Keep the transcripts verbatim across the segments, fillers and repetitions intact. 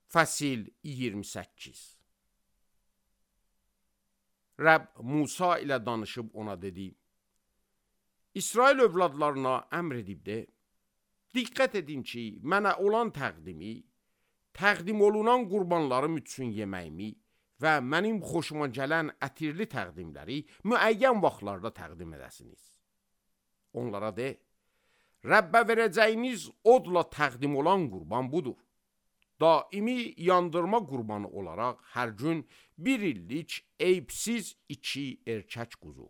Fəsil iyirmi səkkiz. Rəbb Musa ilə danışıb ona dedi: İsrail övladlarına əmr edib de, diqqət edin ki, mənə olan təqdimi, təqdim olunan qurbanlarım üçün yeməyimi və mənim xoşuma gələn ətirli təqdimləri müəyyən vaxtlarda təqdim edəsiniz. Onlara de, Rəbbə verəcəyiniz odla təqdim olan qurban budur. Daimi yandırma qurbanı olaraq hər gün bir illik eyibsiz iki erkək quzu.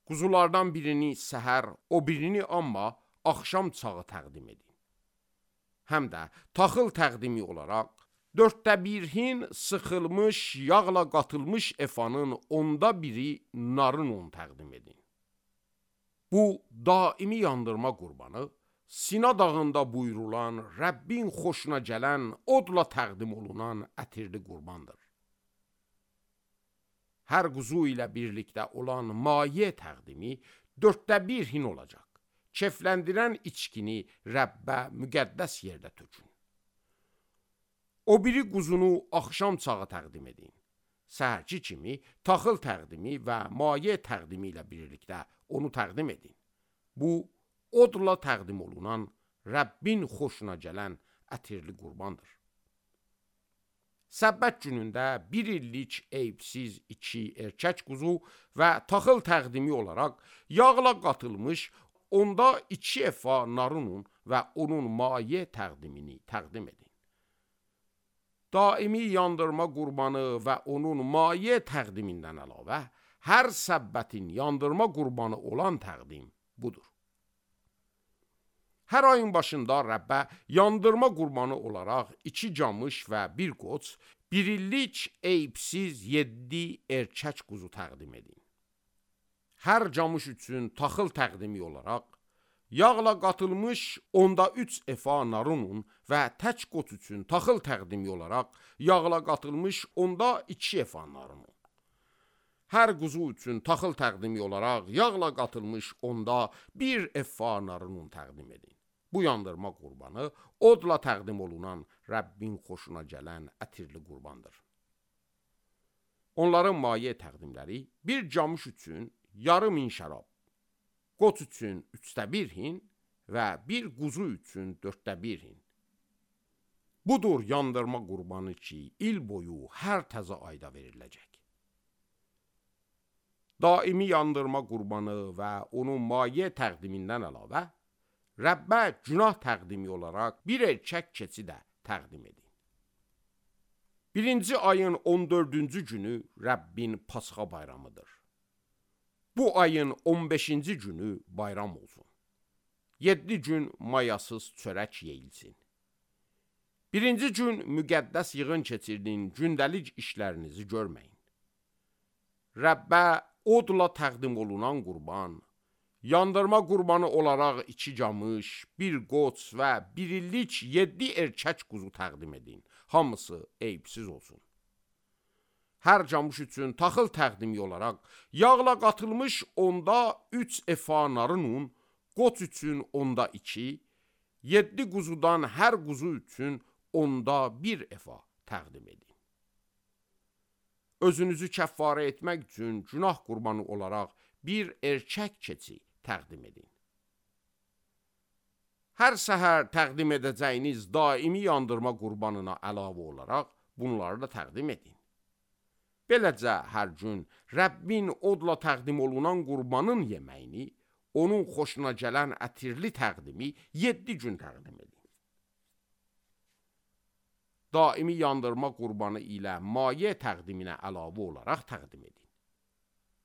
Quzulardan birini səhər, o birini amma axşam çağı təqdim edin. Həm də taxıl təqdimi olaraq dörddə bir hin sıxılmış, yağla qatılmış efanın onda biri narın un təqdim edin. Bu daimi yandırma qurbanı Sina dağında buyurulan, Rəbbin xoşuna gələn, odla təqdim olunan ətirli qurbandır. Hər quzu ilə birlikdə olan maye təqdimi dörddə bir hin olacaq. Kefləndirən içkini Rəbbə müqəddəs yerdə tökün. O biri quzunu axşam çağı təqdim edin. Səhərki kimi taxıl təqdimi və maye təqdimi ilə birlikdə onu təqdim edin. Bu, odla təqdim olunan, Rəbbin xoşuna gələn ətirli qurbandır. Səbbət günündə bir illik eyibsiz iki erkək quzu və taxıl təqdimi olaraq yağla qatılmış onda iki efa narın un və onun maye təqdimini təqdim edin. Daimi yandırma qurbanı və onun maye təqdimindən əlavə hər səbbətin yandırma qurbanı olan təqdim budur. Hər ayın başında Rəbbə yandırma qurbanı olaraq iki camış və bir qoç, bir illik eyibsiz yeddi erkək quzu təqdim edin. Hər camış üçün taxıl təqdimi olaraq, yağla qatılmış onda üç efa narın un və tək qoç üçün taxıl təqdimi olaraq, yağla qatılmış onda iki efa narın un. Hər quzu üçün taxıl təqdimi olaraq, yağla qatılmış onda bir efa narın un təqdim edin. Bu yandırma qurbanı odla təqdim olunan Rəbbin xoşuna gələn ətirli qurbandır. Onların maye təqdimləri bir camış üçün yarım hin şərab, qoç üçün üçdə bir hin və bir quzu üçün dörddə bir hin. Budur yandırma qurbanı ki, il boyu hər təzə ayda veriləcək. Daimi yandırma qurbanı və onun maye təqdimindən əlavə, Rəbbə günah təqdimi olaraq bir erkək keçi də təqdim edin. Birinci ayın on dördüncü günü Rəbbin Pasxa bayramıdır. Bu ayın on beşinci günü bayram olsun. Yeddi gün mayasız çörək yeyilsin. Birinci gün müqəddəs yığın keçirdin, gündəlik işlərinizi görməyin. Rəbbə odla təqdim olunan qurban, yandırma qurbanı olaraq iki camış, bir qoç və bir illik yeddi erkək quzu təqdim edin. Hamısı eyibsiz olsun. Hər camış üçün taxıl təqdimi olaraq, yağla qatılmış onda üç efa narın un, qoç üçün onda iki, yeddi quzudan hər quzu üçün onda bir efa təqdim edin. Özünüzü kəffarə etmək üçün günah qurbanı olaraq bir erkək keçi təqdim edin. Hər səhər təqdim edəcəyiniz daimi yandırma qurbanına əlavə olaraq bunları da təqdim edin. Beləcə hər gün Rəbbin odla təqdim olunan qurbanın yeməyini, onun xoşuna gələn ətirli təqdimi yeddi gün təqdim edin. Daimi yandırma qurbanı ilə maye təqdiminə əlavə olaraq təqdim edin.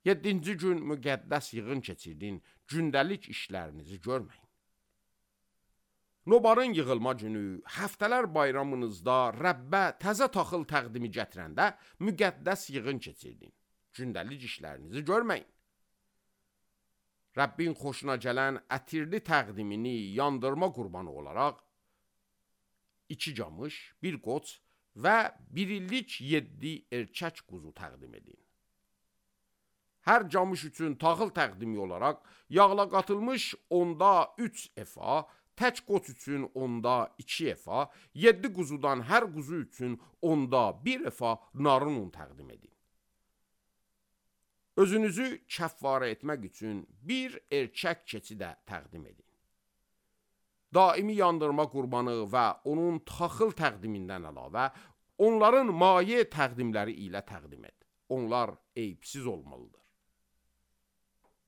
Yeddinci gün müqəddəs yığın keçirdin, gündəlik işlərinizi görməyin. Nobarın yığılma günü, həftələr bayramınızda Rəbbə təzə taxıl təqdimi gətirəndə müqəddəs yığın keçirdin, gündəlik işlərinizi görməyin. Rəbbin xoşuna gələn ətirli təqdimini yandırma qurbanı olaraq iki camış, bir qoç və bir illik yeddi erkək quzu təqdim edin. Hər camış üçün taxıl təqdimi olaraq yağla qatılmış onda üç efa, tək qoç üçün onda iki efa, yeddi quzudan hər quzu üçün onda bir efa narın un təqdim edin. Özünüzü kəffarə etmək üçün bir erkək keçi də təqdim edin. Daimi yandırma qurbanı və onun taxıl təqdimindən əlavə, onların maye təqdimləri ilə təqdim et. Onlar eyibsiz olmalıdır.